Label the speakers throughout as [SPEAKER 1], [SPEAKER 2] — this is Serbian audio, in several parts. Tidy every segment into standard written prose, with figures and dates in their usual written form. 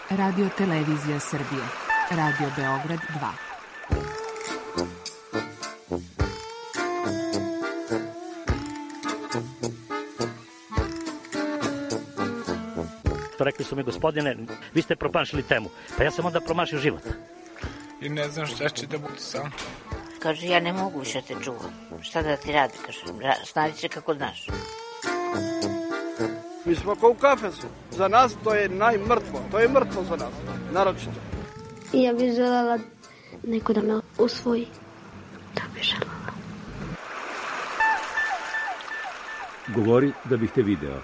[SPEAKER 1] Radio Televizija Srbije, Radio Beograd 2.
[SPEAKER 2] Rekli su mi, gospodine, vi ste promašili temu. Pa ja sam onda promašio život.
[SPEAKER 3] I ne znam šta će da bude sam.
[SPEAKER 4] Kaže, ja ne mogu više te čuvam. Šta da ti radi, kaže, snađi se kako znaš.
[SPEAKER 5] Mi smo kao u kafesu. Za nas to je najmrtvo. To je mrtvo za nas, naročito.
[SPEAKER 6] Ja bih želela neko da me usvoji. Da bih želela.
[SPEAKER 7] Govori da bih te video.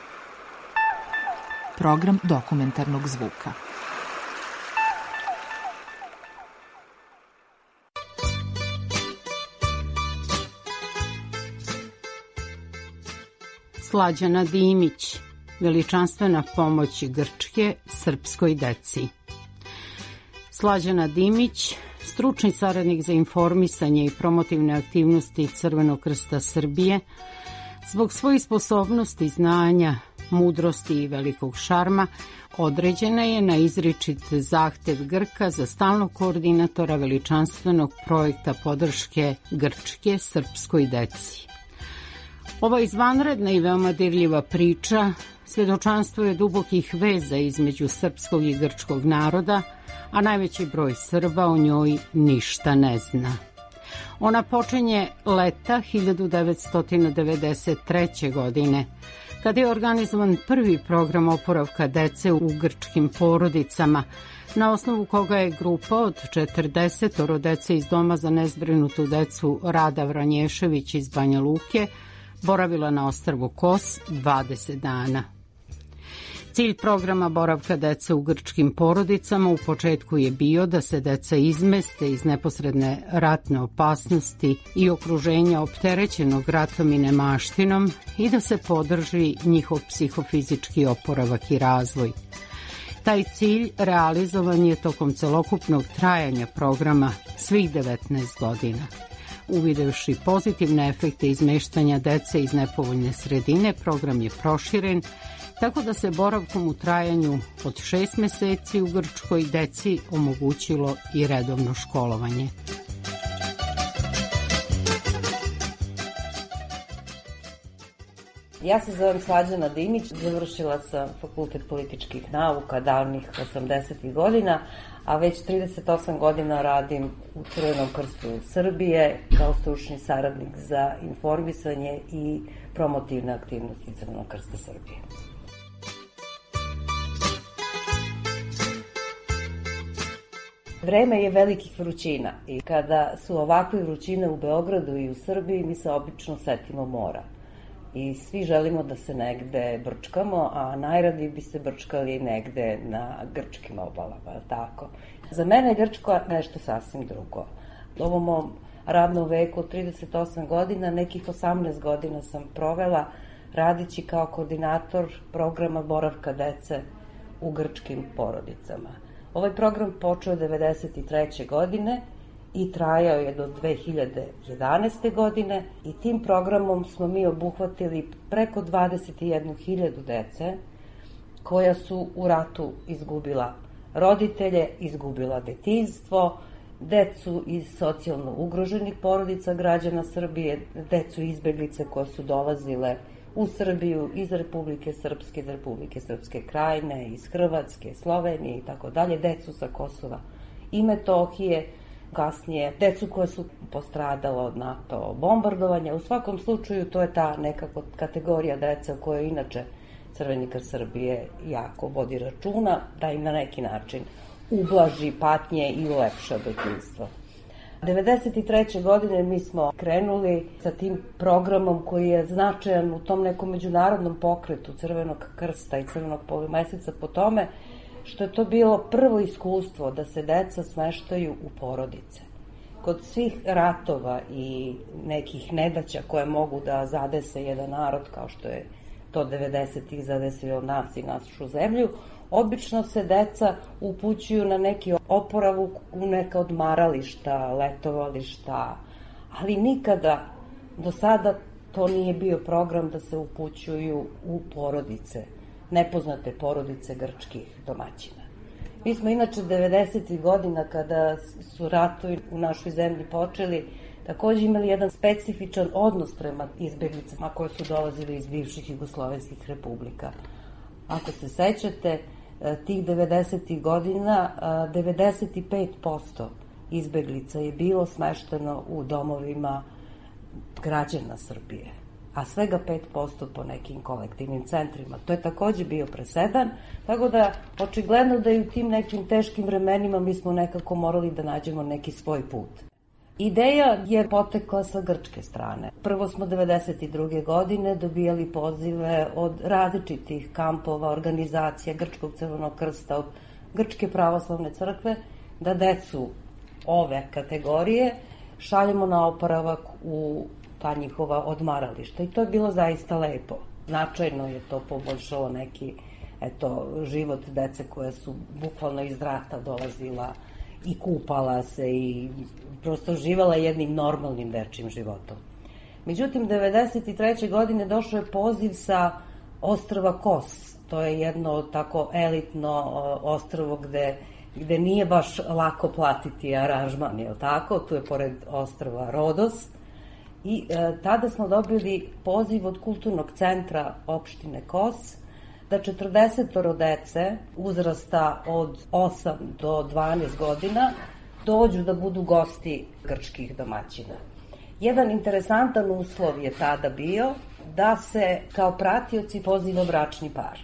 [SPEAKER 1] Program dokumentarnog zvuka.
[SPEAKER 8] Slađana Dimić, veličanstvena pomoć Grčke srpskoj deci. Slađana Dimić, stručni saradnik za informisanje i promotivne aktivnosti Crvenog krsta Srbije, zbog svojih sposobnosti, znanja, mudrosti i velikog šarma, određena je na izričit zahtev Grka za stalnog koordinatora veličanstvenog projekta podrške Grčke srpskoj deci. Ova izvanredna i veoma dirljiva priča svedočanstvo je dubokih veza između srpskog i grčkog naroda, a najveći broj Srba o njoj ništa ne zna. Ona počinje leta 1993. godine, kada je organizovan prvi program oporavka dece u grčkim porodicama, na osnovu koga je grupa od 40 dece iz Doma za nezbrinutu decu Rada Vranješević iz Banja Luke boravila na ostrvu Kos 20 dana. Cilj programa boravka dece u grčkim porodicama u početku je bio da se deca izmeste iz neposredne ratne opasnosti i okruženja opterećenog ratom i nemaštinom i da se podrži njihov psihofizički oporavak i razvoj. Taj cilj realizovan je tokom celokupnog trajanja programa svih 19 godina. Uvidevši pozitivne efekte izmeštanja dece iz nepovoljne sredine, program je proširen, tako da se boravkom u trajanju od 6 meseci u Grčkoj deci omogućilo i redovno školovanje.
[SPEAKER 9] Ja se zovem Slađana Dimić, završila sam fakultet političkih nauka davnih 80. godina, a već 38 godina radim u Crvenom krstu Srbije kao stručni saradnik za informisanje i promotivne aktivnosti Crvenog krsta Srbije. Vreme je velikih vrućina i kada su ovakve vrućine u Beogradu i u Srbiji, mi se obično setimo mora. I svi želimo da se negde brčkamo, a najradije bi se brčkali negde na grčkim obalama, tako. Za mene je Grčko nešto sasvim drugo. U ovom mom radnom veku od 38 godina, nekih 18 godina sam provela radići kao koordinator programa boravka dece u grčkim porodicama. Ovaj program počeo 1993. godine i trajao je do 2011. godine i tim programom smo mi obuhvatili preko 21.000 dece koja su u ratu izgubila roditelje, izgubila detinjstvo, decu iz socijalno ugroženih porodica građana Srbije, decu izbeglice koje su dolazile u Srbiju iz Republike Srpske, iz Republike Srpske Krajine, iz Hrvatske, Slovenije i tako dalje, decu sa Kosova i Metohije, kasnije decu koja su postradala od NATO bombardovanja. U svakom slučaju to je ta nekako kategorija dece o kojoj inače Crveni krst Srbije jako vodi računa, da im na neki način ublaži patnje i ulepša detinjstvo. 1993. godine mi smo krenuli sa tim programom koji je značajan u tom nekom međunarodnom pokretu Crvenog krsta i Crvenog polumeseca po tome što je to bilo prvo iskustvo da se deca smeštaju u porodice. Kod svih ratova i nekih nedaća koje mogu da zadese jedan narod, kao što je to 90-ih zadesilo nas i našu zemlju, obično se deca upućuju na neki oporavuk u neka odmarališta, letovališta, ali nikada do sada to nije bio program da se upućuju u porodice, nepoznate porodice grčkih domaćina. Mi smo inače 90. godina kada su ratovi u našoj zemlji počeli, takođe imali jedan specifičan odnos prema izbeglicama koje su dolazile iz bivših jugoslovenskih republika. Ako se sećate, tih 90. godina 95% izbeglica je bilo smešteno u domovima građana Srbije, a svega 5% po nekim kolektivnim centrima. To je takođe bio presedan, tako da očigledno da i u tim nekim teškim vremenima mi smo nekako morali da nađemo neki svoj put. Ideja je potekla sa grčke strane. Prvo smo 92. godine dobijali pozive od različitih kampova, organizacija Grčkog crvenog krsta, od Grčke pravoslavne crkve, da decu ove kategorije šaljemo na oporavak u ta njihova odmarališta. I to je bilo zaista lepo. Značajno je to poboljšalo neki život dece koje su bukvalno iz rata dolazila i kupala se i prosto živala jednim normalnim dečijim životom. Međutim, 93. godine došao je poziv sa ostrva Kos. To je jedno tako elitno ostrvo gde nije baš lako platiti aranžman, je li tako? Tu je pored ostrva Rodos. I tada smo dobili poziv od kulturnog centra opštine Kos da 40 dece uzrasta od 8 do 12 godina dođu da budu gosti grčkih domaćina. Jedan interesantan uslov je tada bio da se kao pratioci poziva bračni par.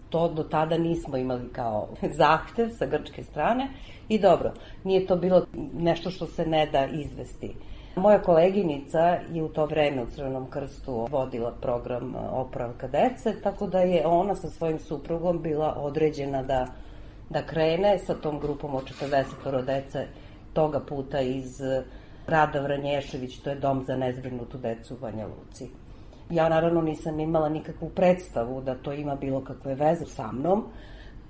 [SPEAKER 9] To do tada nismo imali kao zahtev sa grčke strane i dobro, nije to bilo nešto što se ne da izvesti. Moja koleginica je u to vreme u Crvenom krstu vodila program oporavka dece, tako da je ona sa svojim suprugom bila određena da krene sa tom grupom od 40 dece toga puta iz Rada Vranješević, to je dom za nezbrinutu decu u Banja Luci. Ja naravno nisam imala nikakvu predstavu da to ima bilo kakve veze sa mnom,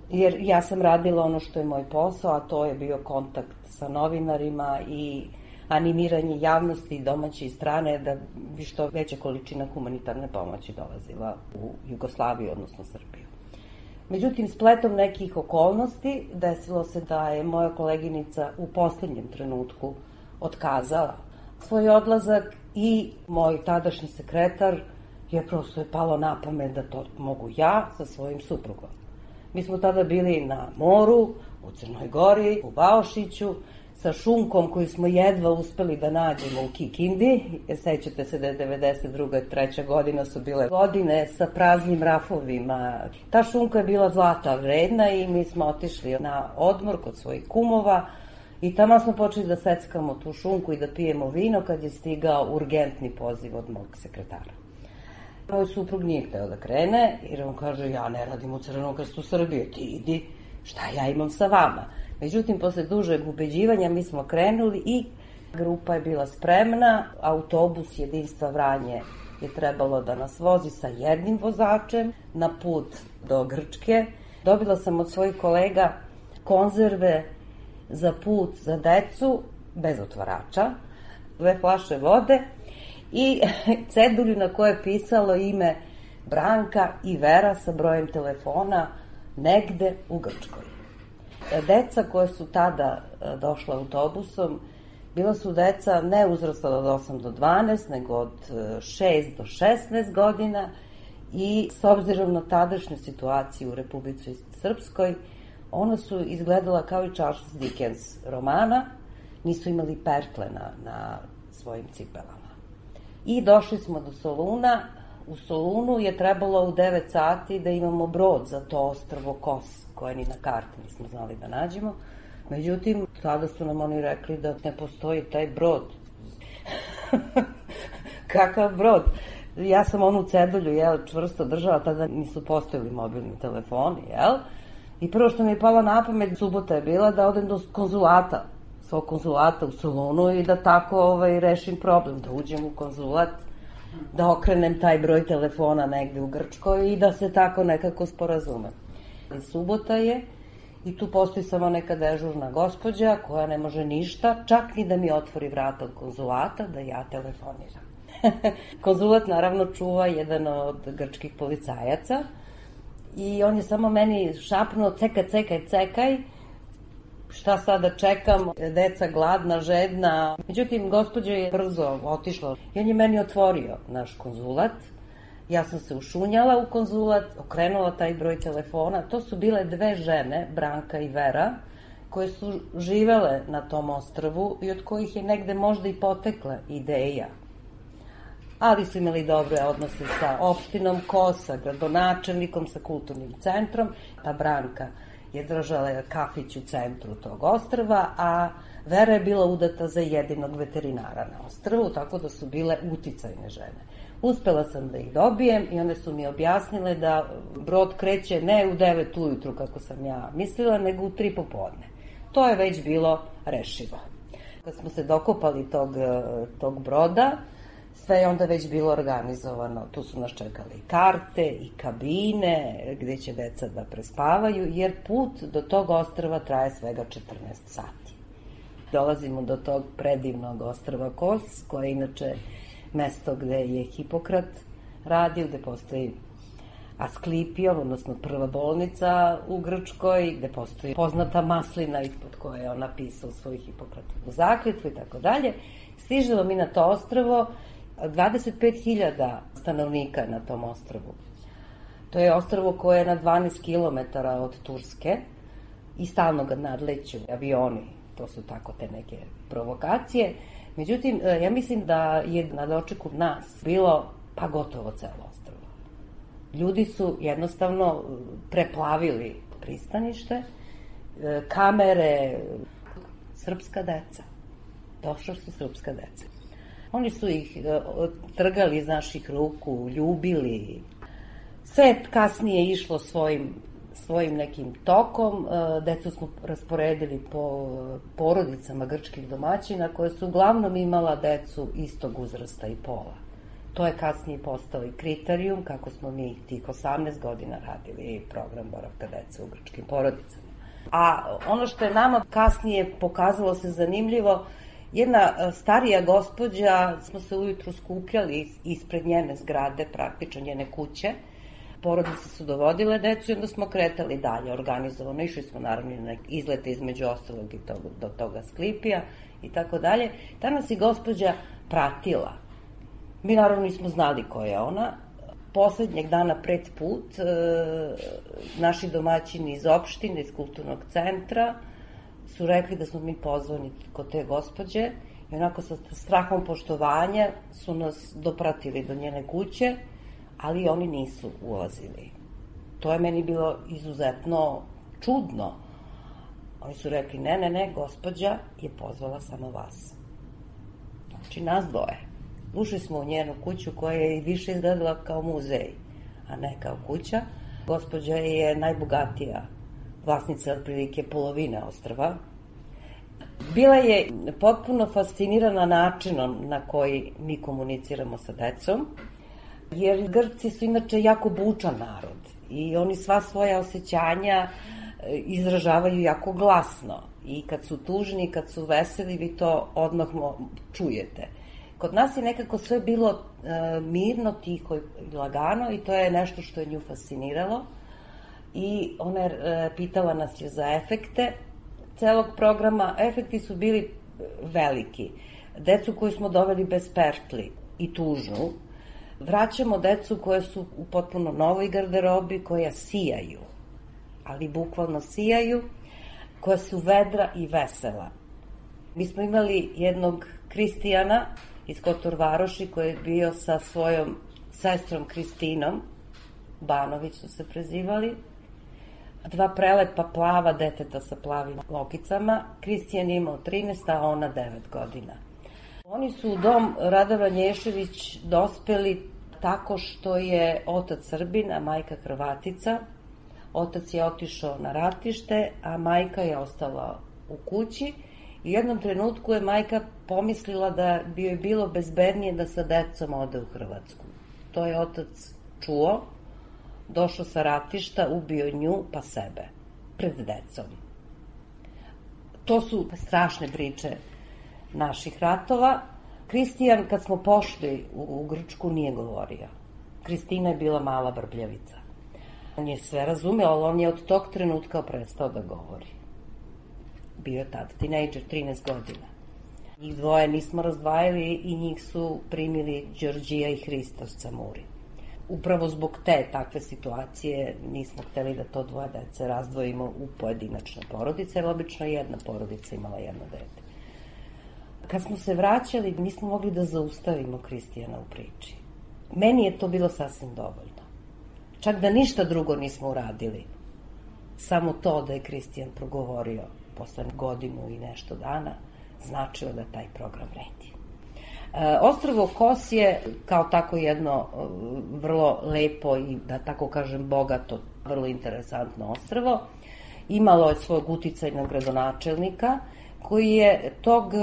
[SPEAKER 9] jer ja sam radila ono što je moj posao, a to je bio kontakt sa novinarima i animiranje javnosti domaće i strane da bi što veća količina humanitarne pomoći dolazila u Jugoslaviju, odnosno Srbiju. Međutim, spletom nekih okolnosti desilo se da je moja koleginica u poslednjem trenutku otkazala svoj odlazak i moj tadašnji sekretar je prosto je palo na pamet da to mogu ja sa svojim suprugom. Mi smo tada bili na moru, u Crnoj Gori, u Baošiću, sa šunkom koju smo jedva uspeli da nađemo u Kikindi. Sećate se da je 92. i 3. godina su bile godine sa praznim rafovima. Ta šunka je bila zlata vredna i mi smo otišli na odmor kod svojih kumova i tamo smo počeli da seckamo tu šunku i da pijemo vino kad je stigao urgentni poziv od mog sekretara. Moj suprug nije hteo da krene jer on kaže ja ne radim u Crvenom krstu Srbije, ti idi, šta ja imam sa vama. Međutim, posle dužeg ubeđivanja mi smo krenuli i grupa je bila spremna, autobus Jedinstva Vranje je trebalo da nas vozi sa jednim vozačem na put do Grčke. Dobila sam od svojih kolega konzerve za put za decu, bez otvarača, 2 flaše vode i cedulju na kojoj je pisalo ime Branka i Vera sa brojem telefona negde u Grčkoj. Deca koje su tada došla autobusom, bila su deca ne uzrasta od 8 do 12, nego od 6 do 16 godina i s obzirom na tadašnju situaciju u Republici Srpskoj, ona su izgledala kao i Charles Dickens romana, nisu imali pertle na svojim cipelama. I došli smo do Soluna. U Solunu je trebalo u 9 sati da imamo brod za to ostrvo Kos, koje ni na karti nismo znali da nađemo. Međutim, tada su nam oni rekli da ne postoji taj brod. Kakav brod? Ja sam onu cedulju čvrsto držala, tada nisu postojali mobilni telefoni, I prvo što mi je palo na pamet, subota je bila da odem do konzulata, svog konzulata u Solunu i da tako rešim problem, da uđem u konzulat, da okrenem taj broj telefona negde u Grčkoj i da se tako nekako sporazumem. Subota je i tu postoji samo neka dežurna gospođa koja ne može ništa, čak ni da mi otvori vrata od konzulata da ja telefoniram. Konzulat naravno čuva jedan od grčkih policajaca I on je samo meni šapnuo cekaj, šta sada čekam, deca gladna, žedna. Međutim, gospođa je brzo otišla i on je meni otvorio naš konzulat. Ja sam se ušunjala u konzulat, okrenula taj broj telefona. To su bile dve žene, Branka i Vera, koje su živele na tom ostrvu i od kojih je negde možda i potekla ideja. Ali su imali dobre odnose sa opštinom Kosa, gradonačelnikom, sa kulturnim centrom. Ta Branka je držala kafić u centru tog ostrva, a Vera je bila udata za jedinog veterinara na ostrvu, tako da su bile uticajne žene. Uspela sam da ih dobijem i one su mi objasnile da brod kreće ne u 9 ujutru, kako sam ja mislila, nego u 3 popodne. To je već bilo rešivo. Kad smo se dokopali tog broda, sve je onda već bilo organizovano. Tu su nas čekale i karte i kabine gde će deca da prespavaju, jer put do tog ostrva traje svega 14 sati. Dolazimo do tog predivnog ostrva Kos, koje je inače mesto gde je Hipokrat radio, gde postoji Asklipijom, odnosno prva bolnica u Grčkoj, gde postoji poznata maslina ispod koje je on napisao svoju Hipokratovu zakletvu i tako dalje. Stižemo mi na to ostrvo, 25.000 stanovnika na tom ostrvu. To je ostrvo koje je na 12 km od Turske i stalno ga nadleću avioni. To su tako te neke provokacije. Međutim, ja mislim da je na dočeku nas bilo pa gotovo celo ostrvo. Ljudi su jednostavno preplavili pristanište, kamere, srpska deca. Došla su srpska deca. Oni su ih trgali iz naših ruku, ljubili. Sve kasnije išlo svojim nekim tokom. Decu smo rasporedili po porodicama grčkih domaćina koje su uglavnom imala decu istog uzrasta i pola. To je kasnije postao i kriterijum kako smo mi tih 18 godina radili program boravka dece u grčkim porodicama. A ono što je nama kasnije pokazalo se zanimljivo, jedna starija gospođa, smo se ujutru skupljali ispred njene zgrade, praktično njene kuće. Porodice su dovodile decu i onda smo kretali dalje organizovano. Išli smo naravno na izlete između ostalog i do toga Asklipija i tako dalje. Ta nas i gospođa pratila. Mi naravno nismo znali ko je ona. Poslednjeg dana pred put naši domaćini iz opštine, iz kulturnog centra su rekli da smo mi pozvani kod te gospođe i onako sa strahom poštovanja su nas dopratili do njene kuće, ali oni nisu ulazili. To je meni bilo izuzetno čudno. Oni su rekli, ne, gospođa je pozvala samo vas. Znači, nas dvoje. Ušli smo u njenu kuću koja je više izgledala kao muzej, a ne kao kuća. Gospođa je najbogatija vlasnica otprilike polovine ostrva. Bila je potpuno fascinirana načinom na koji mi komuniciramo sa decom, jer Grci su inače jako bučan narod i oni sva svoja osjećanja izražavaju jako glasno. I kad su tužni, kad su veseli, vi to odmah čujete. Kod nas je nekako sve bilo mirno, tiho i lagano i to je nešto što je nju fasciniralo. I ona je pitala nas je za efekte celog programa. Efekti su bili veliki. Decu koju smo doveli bez pertli i tužnu, vraćamo decu koje su u potpuno novoj garderobi, koja sijaju, ali bukvalno sijaju, koja su vedra i vesela. Mi smo imali jednog Kristijana iz Kotor Varoši koji je bio sa svojom sestrom Kristinom, Banović su se prezivali, dva prelepa plava deteta sa plavim lokicama. Kristijan je imao 13, a ona 9 godina. Oni su u dom Radova Nješević dospeli tako što je otac Srbin, a majka Hrvatica. Otac je otišao na ratište, a majka je ostala u kući. I u jednom trenutku je majka pomislila da bi joj bilo bezbednije da sa decom ode u Hrvatsku. To je otac čuo, došao sa ratišta, ubio nju pa sebe, pred decom. To su strašne priče naših ratova. Kristijan, kad smo pošli u Grčku, nije govorio. Kristina je bila mala brbljavica. On je sve razumeo, ali on je od tog trenutka prestao da govori. Bio je tad tinejdžer, 13 godina. Njih dvoje nismo razdvajali i njih su primili Đorđija i Hristos Camuri. Upravo zbog te takve situacije nismo hteli da to dvoje dece razdvojimo u pojedinačne porodice, jer obično jedna porodica imala jedno dete. Kad smo se vraćali, nismo mogli da zaustavimo Kristijana u priči. Meni je to bilo sasvim dovoljno. Čak da ništa drugo nismo uradili. Samo to da je Kristijan progovorio posle godinu i nešto dana, značilo da taj program vredi. Ostrvo Kos je kao tako jedno vrlo lepo i, da tako kažem, bogato, vrlo interesantno ostrvo. Imalo je svog uticajnog gradonačelnika koji je tog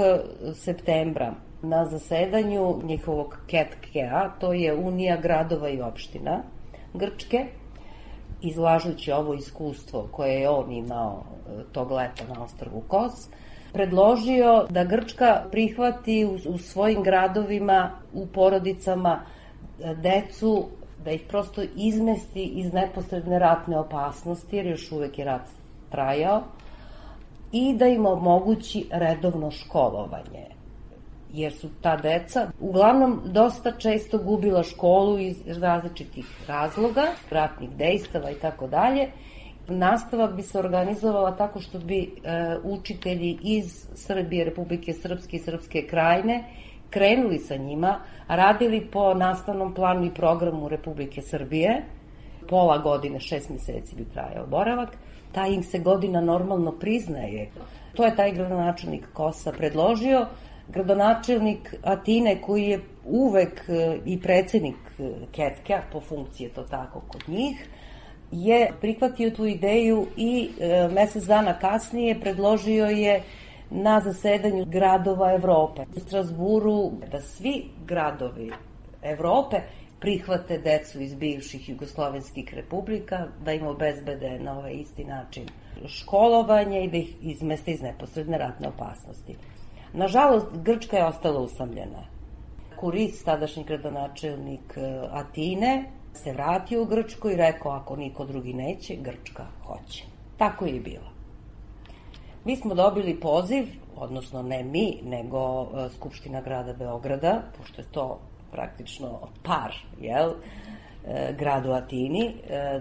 [SPEAKER 9] septembra na zasedanju njihovog KETKE-a, to je Unija gradova i opština Grčke, izlažući ovo iskustvo koje je on imao tog leta na ostrvu Kos, predložio da Grčka prihvati u svojim gradovima, u porodicama decu, da ih prosto izmesti iz neposredne ratne opasnosti, jer još uvek je rat trajao, i da im omogući redovno školovanje. Jer su ta deca uglavnom dosta često gubila školu iz različitih razloga, ratnih dejstava i tako dalje. Nastava bi se organizovala tako što bi učitelji iz Srbije, Republike Srpske i Srpske Krajine krenuli sa njima, radili po nastavnom planu i programu Republike Srbije, pola godine, 6 meseci bi trajao boravak, ta im se godina normalno priznaje. To je taj gradonačelnik Kosa predložio. Gradonačelnik Atine, koji je uvek i predsednik KETKE-a, po funkciji je to tako kod njih, je prihvatio tu ideju i mesec dana kasnije predložio je na zasedanju gradova Evrope u Strasburu da svi gradovi Evrope prihvate decu iz bivših jugoslovenskih republika, da im obezbede na ovaj isti način školovanje i da ih izmeste iz neposredne ratne opasnosti. Nažalost, Grčka je ostala usamljena. Kuris, tadašnji gradonačelnik Atine, se vratio u Grčku i rekao, ako niko drugi neće, Grčka hoće. Tako je i bilo. Mi smo dobili poziv, odnosno ne mi, nego Skupština grada Beograda, pošto je to praktično par, gradu Atini,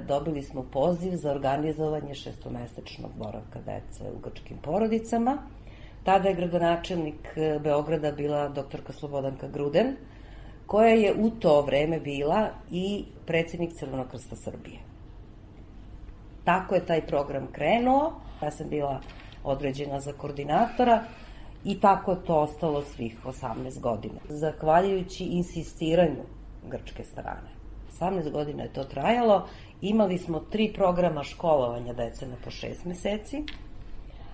[SPEAKER 9] dobili smo poziv za organizovanje 6-mesečnog boravka dece u grčkim porodicama. Tada je gradonačelnik Beograda bila doktorka Slobodanka Gruden, koja je u to vreme bila i predsednik Crvenog krsta Srbije. Tako je taj program krenuo, ja sam bila određena za koordinatora i tako je to ostalo svih 18 godina. Zahvaljujući insistiranju grčke strane. 18 godina je to trajalo, imali smo 3 programa školovanja dece na po 6 meseci,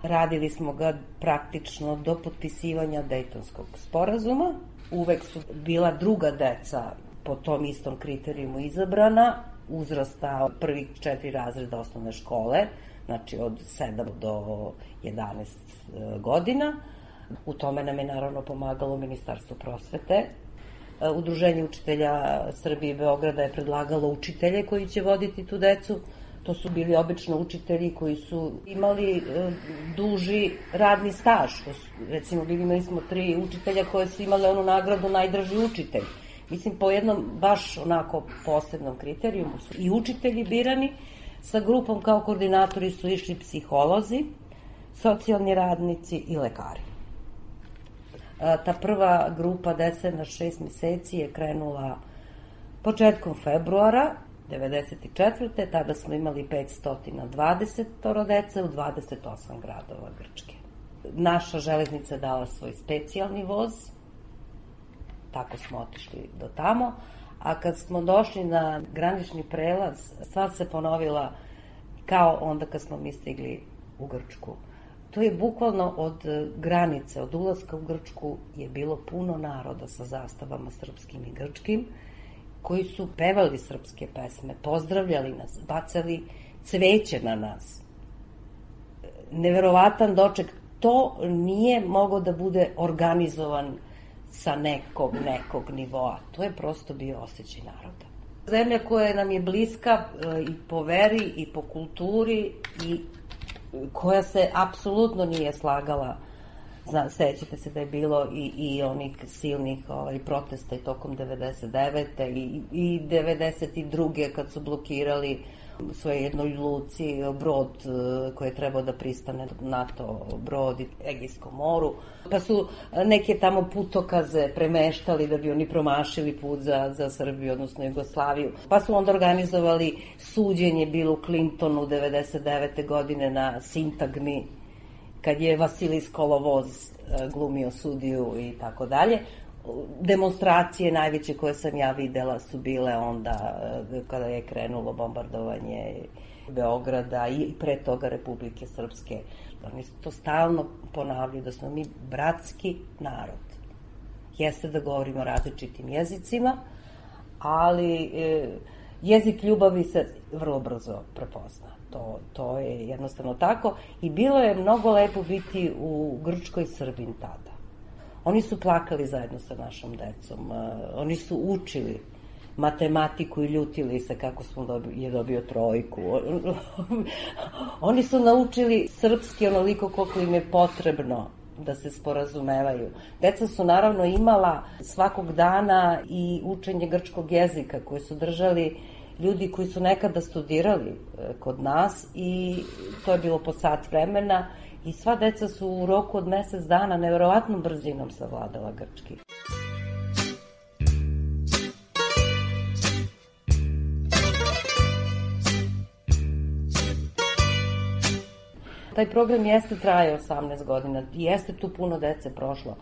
[SPEAKER 9] radili smo ga praktično do potpisivanja Dejtonskog sporazuma. Uvek su bila druga deca po tom istom kriterijumu izabrana, uzrasta prvih 4 razreda osnovne škole, znači od 7 do 11 godina. U tome nam je naravno pomagalo Ministarstvo prosvete. Udruženje učitelja Srbije i Beograda je predlagalo učitelje koji će voditi tu decu. To su bili obično učitelji koji su imali duži radni staž. Recimo, imali smo 3 učitelja koje su imale onu nagradu najdraži učitelj. Mislim, po jednom baš onako posebnom kriterijumu su i učitelji birani. Sa grupom kao koordinatori su išli psiholozi, socijalni radnici i lekari. Ta prva grupa dece na 6 meseci je krenula početkom februara 1994. Tada smo imali 520 dece u 28 gradova Grčke. Naša železnica je dala svoj specijalni voz, tako smo otišli do tamo, a kad smo došli na granični prelaz, stvar se ponovila kao onda kad smo mi stigli u Grčku. To je bukvalno od granice, od ulaska u Grčku je bilo puno naroda sa zastavama srpskim i grčkim, koji su pevali srpske pesme, pozdravljali nas, bacali cveće na nas. Neverovatan doček. To nije moglo da bude organizovan sa nekog nivoa. To je prosto bio osjećaj naroda. Zemlja koja nam je bliska i po veri i po kulturi i koja se apsolutno nije slagala. Sećate se da je bilo i onih silnih protesta i tokom 99. i 92. kad su blokirali u svojoj jednoj luci brod koji je trebao da pristane NATO brod i Egejskom moru. Pa su neke tamo putokaze premeštali da bi oni promašili put za Srbiju, odnosno Jugoslaviju. Pa su onda organizovali suđenje bilo u Clintonu 99. godine na Sintagmi, kad je Vasilis Kolovoz glumio sudiju i tako dalje. Demonstracije najveće koje sam ja videla su bile onda kada je krenulo bombardovanje Beograda i pre toga Republike Srpske. Oni su to stalno ponavljaju da smo mi bratski narod. Jeste da govorimo različitim jezicima, ali jezik ljubavi se vrlo brzo prepozna. To je jednostavno tako. I bilo je mnogo lepo biti u Grčkoj Srbin tada. Oni su plakali zajedno sa našom decom. Oni su učili matematiku i ljutili se kako je dobio trojku. Oni su naučili srpski onoliko koliko im je potrebno da se sporazumevaju. Deca su naravno imala svakog dana i učenje grčkog jezika koje su držali ljudi koji su nekada studirali kod nas i to je bilo po sat vremena i sva deca su u roku od mesec dana neverovatnom brzinom savladala grčki. Taj program jeste trajao 18 godina, jeste tu puno dece prošlo,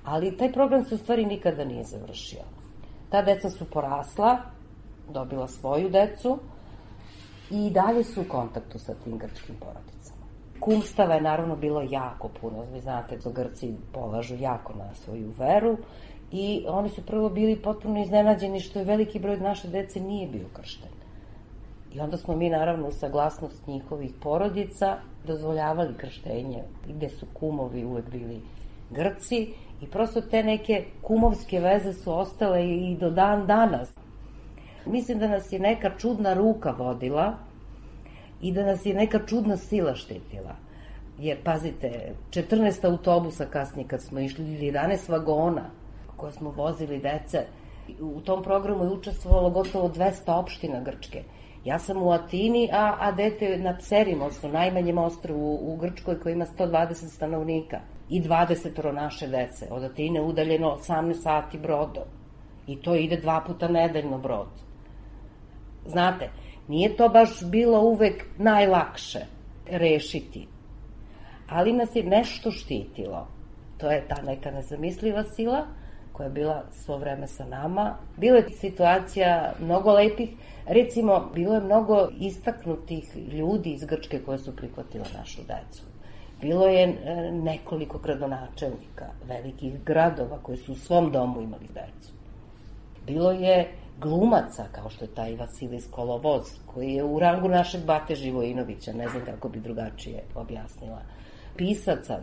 [SPEAKER 9] ali taj program se u stvari nikada nije završio. Ta deca su porasla, dobila svoju decu i dalje su u kontaktu sa tim grčkim porodicama. Kumstava je naravno bilo jako puno, vi znate da Grci polažu jako na svoju veru i oni su prvo bili potpuno iznenađeni što je veliki broj naše dece nije bio kršten. I onda smo mi naravno u saglasnost njihovih porodica dozvoljavali krštenje, gde su kumovi uvek bili Grci i prosto te neke kumovske veze su ostale i do dan danas. Mislim da nas je neka čudna ruka vodila i da nas je neka čudna sila štitila. Jer, pazite, 14 autobusa kasnije kad smo išli, 11 vagona koje smo vozili dece, u tom programu je učestvovalo gotovo 200 opština Grčke. Ja sam u Atini, a dete na Pserim, odnosno najmanjem ostrvu u Grčkoj koji ima 120 stanovnika i 20 naše dece. Od Atine udaljeno 18 sati brodom i to ide 2 puta nedeljno brod. Znate, nije to baš bilo uvek najlakše rešiti, ali nas je nešto štitilo. To je ta neka nezamisliva sila koja je bila svo vreme sa nama. Bilo je situacija mnogo lepih, recimo, bilo je mnogo istaknutih ljudi iz Grčke koje su prihvatile našu decu. Bilo je nekoliko gradonačelnika velikih gradova koji su u svom domu imali decu. Bilo je glumaca, kao što je taj Vasilis Kolovoz, koji je u rangu našeg Bate Živojinovića, ne znam kako bi drugačije objasnila. Pisaca,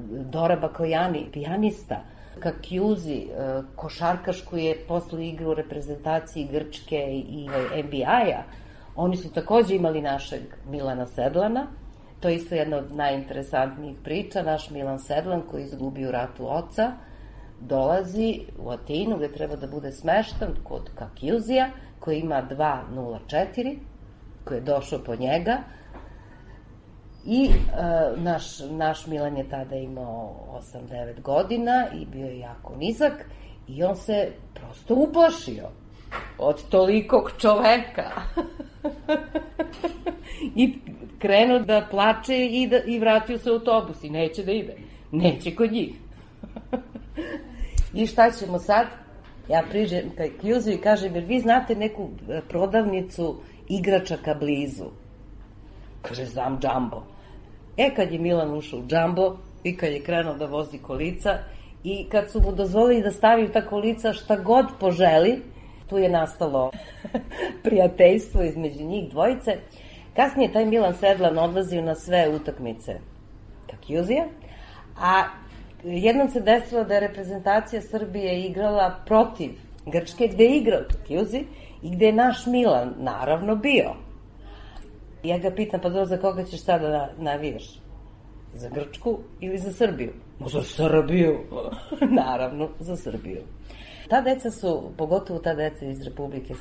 [SPEAKER 9] Dora Bakojani, pijanista, Kakjuzi, košarkaš koji je posle igra u reprezentaciji Grčke i NBA-a, oni su takođe imali našeg Milana Sedlana. To je isto jedna od najinteresantnijih priča. Naš Milan Sedlan, koji je izgubio u ratu oca, dolazi u Atinu gde treba da bude smeštan kod Kakjuzija, koji ima 204, koji je došao po njega. I naš Milan je tada imao 8-9 godina i bio je jako nizak i on se prosto uplašio od tolikog čoveka. I krenuo da plače i vratio se u autobus i neće da ide. Neće kod njih. I šta ćemo sad? Ja priđem kaj Kjuzu i kažem, jer vi znate neku prodavnicu igračaka blizu? Kaže, znam Džambo. Kad je Milan ušao u Džambo i kad je krenuo da vozi kolica i kad su mu dozvolili da stavi u ta kolica šta god poželi, tu je nastalo prijateljstvo između njih dvojice. Kasnije taj Milan Sedlan odlazio na sve utakmice Kakjuzija, a jednom se desilo da je reprezentacija Srbije igrala protiv Grčke, gde je igrao Kakjuzi i gde je naš Milan naravno bio. Ja ga pitam, pa dobro, za koga ćeš sada navijaš? Za Grčku ili za Srbiju? Za Srbiju, naravno za Srbiju. Ta deca su, pogotovo ta deca iz Republike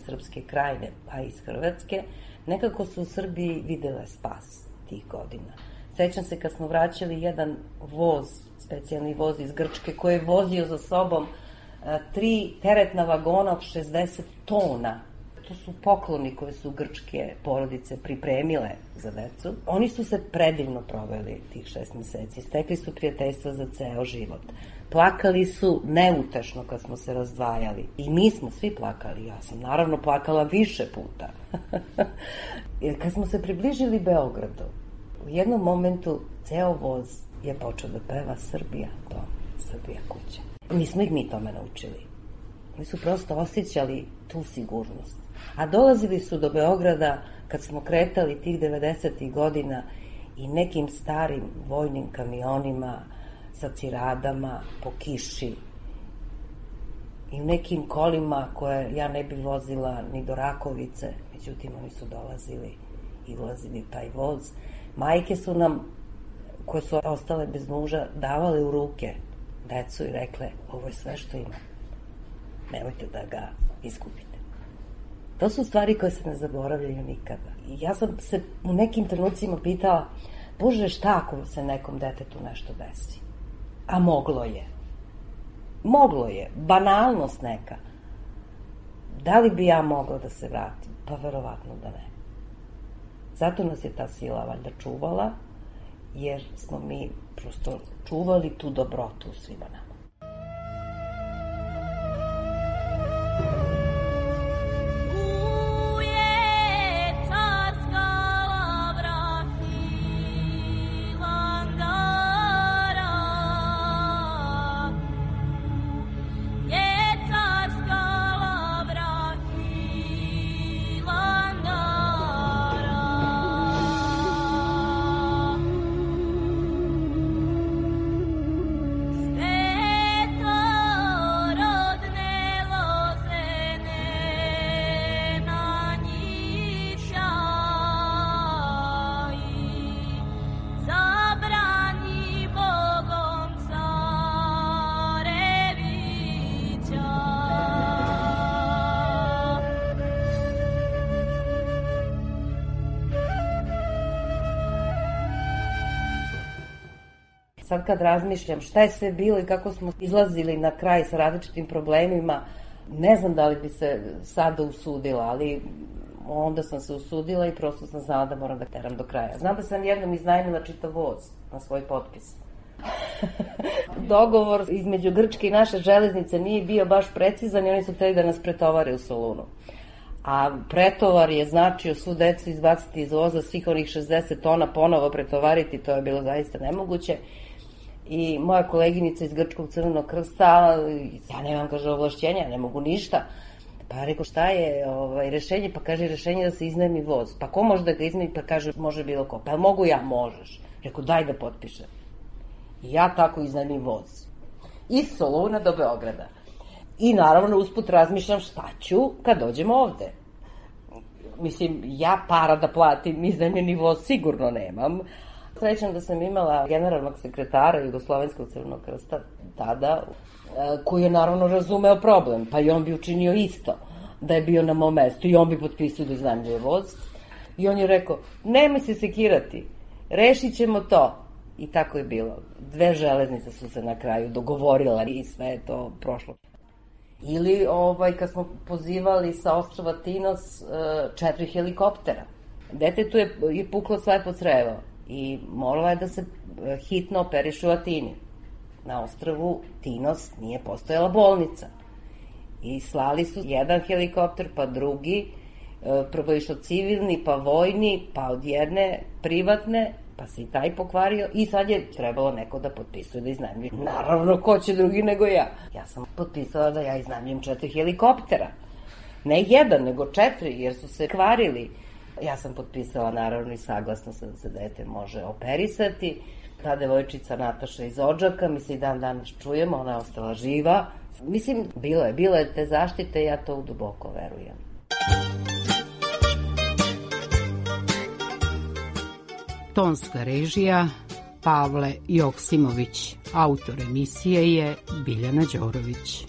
[SPEAKER 9] Srpske Krajine, pa i iz Hrvatske, nekako su u Srbiji videle spas tih godina. Sećam se kad smo vraćali jedan voz, specijalni voz iz Grčke, koji je vozio za sobom 3 teretna vagona od 60 tona. To su pokloni koje su grčke porodice pripremile za decu. Oni su se predivno proveli tih 6 meseci. Stekli su prijateljstva za ceo život. Plakali su neutešno kad smo se razdvajali. I mi smo svi plakali. Ja sam naravno plakala više puta. Kad smo se približili Beogradu, u jednom momentu ceo voz je počeo da peva Srbija dom, Srbija kuća. Nismo ih mi tome naučili. Oni su prosto osjećali tu sigurnost. A dolazili su do Beograda kad smo kretali tih 90. godina i nekim starim vojnim kamionima sa ciradama po kiši i u nekim kolima koje ja ne bi vozila ni do Rakovice, međutim oni su dolazili i ulazili u taj voz. Majke su nam, koje su ostale bez muža, davale u ruke decu i rekle, ovo je sve što ima. Nemojte da ga izgubite. To su stvari koje se ne zaboravljaju nikada. I ja sam se u nekim trenucima pitala, Bože, šta ako se nekom detetu nešto desi? A moglo je. Moglo je. Banalnost neka. Da li bi ja mogla da se vratim? Pa verovatno da ne. Zato nas je ta sila valjda čuvala, jer smo mi prosto čuvali tu dobrotu u svima nama. Sad kad razmišljam šta je sve bilo i kako smo izlazili na kraj sa različitim problemima, ne znam da li bi se sada usudila, ali onda sam se usudila i prosto sam znala da moram da teram do kraja. Znam da sam jednom iznajmila čitav voz na svoj potpis. Dogovor između Grčke i naše železnice nije bio baš precizan i oni su hteli da nas pretovare u Solunu. A pretovar je značio svu decu izbaciti iz voza, svih onih 60 tona ponovo pretovariti, to je bilo zaista nemoguće. I moja koleginica iz Grčkog Crvenog Krsta, ja nemam, kaže, ovlašćenja, ne mogu ništa. Pa ja rekao, šta je rešenje? Pa kaže, rešenje da se iznajmi voz. Pa ko može da ga iznajmi? Pa kaže, može bilo ko. Pa mogu ja? Možeš. Rekao, daj da potpišem. I ja tako iznajmim voz. Iz Soluna do Beograda. I naravno usput razmišljam šta ću kad dođem ovde. Mislim, ja para da platim iznajmljeni voz sigurno nemam. Srećam da sam imala generalnog sekretara Jugoslovenskog Crvenog Krsta tada, koji je naravno razumeo problem, pa i on bi učinio isto da je bio na mom mestu i on bi potpisao da iznajmljuje voz. I on je rekao, nemoj se sekirati, rešit ćemo to. I tako je bilo. 2 železnice su se na kraju dogovorile i sve je to prošlo. Ili kad smo pozivali sa ostrava Tinos 4 helikoptera. Detetu je puklo slepo crevo i morala je da se hitno operiše u Atini. Na ostrvu Tinos nije postojala bolnica. I slali su jedan helikopter, pa drugi, prvo je išao civilni, pa vojni, pa od jedne privatne, pa se i taj pokvario i sad je trebalo neko da potpisuje da iznajmljuje. Naravno, ko će drugi nego ja. Ja sam potpisala da ja iznajmljujem 4 helikoptera. Ne 1, nego 4, jer su se kvarili. Ja sam potpisala naravno i saglasno da se dete može operisati. Ta devojčica Nataša iz Odžaka, mi se i dan danas čujemo, ona je ostala živa, Mislim, bilo je te zaštite, ja to duboko verujem.
[SPEAKER 8] Tonska režija Pavle Joksimović, autor emisije je Biljana Đorović.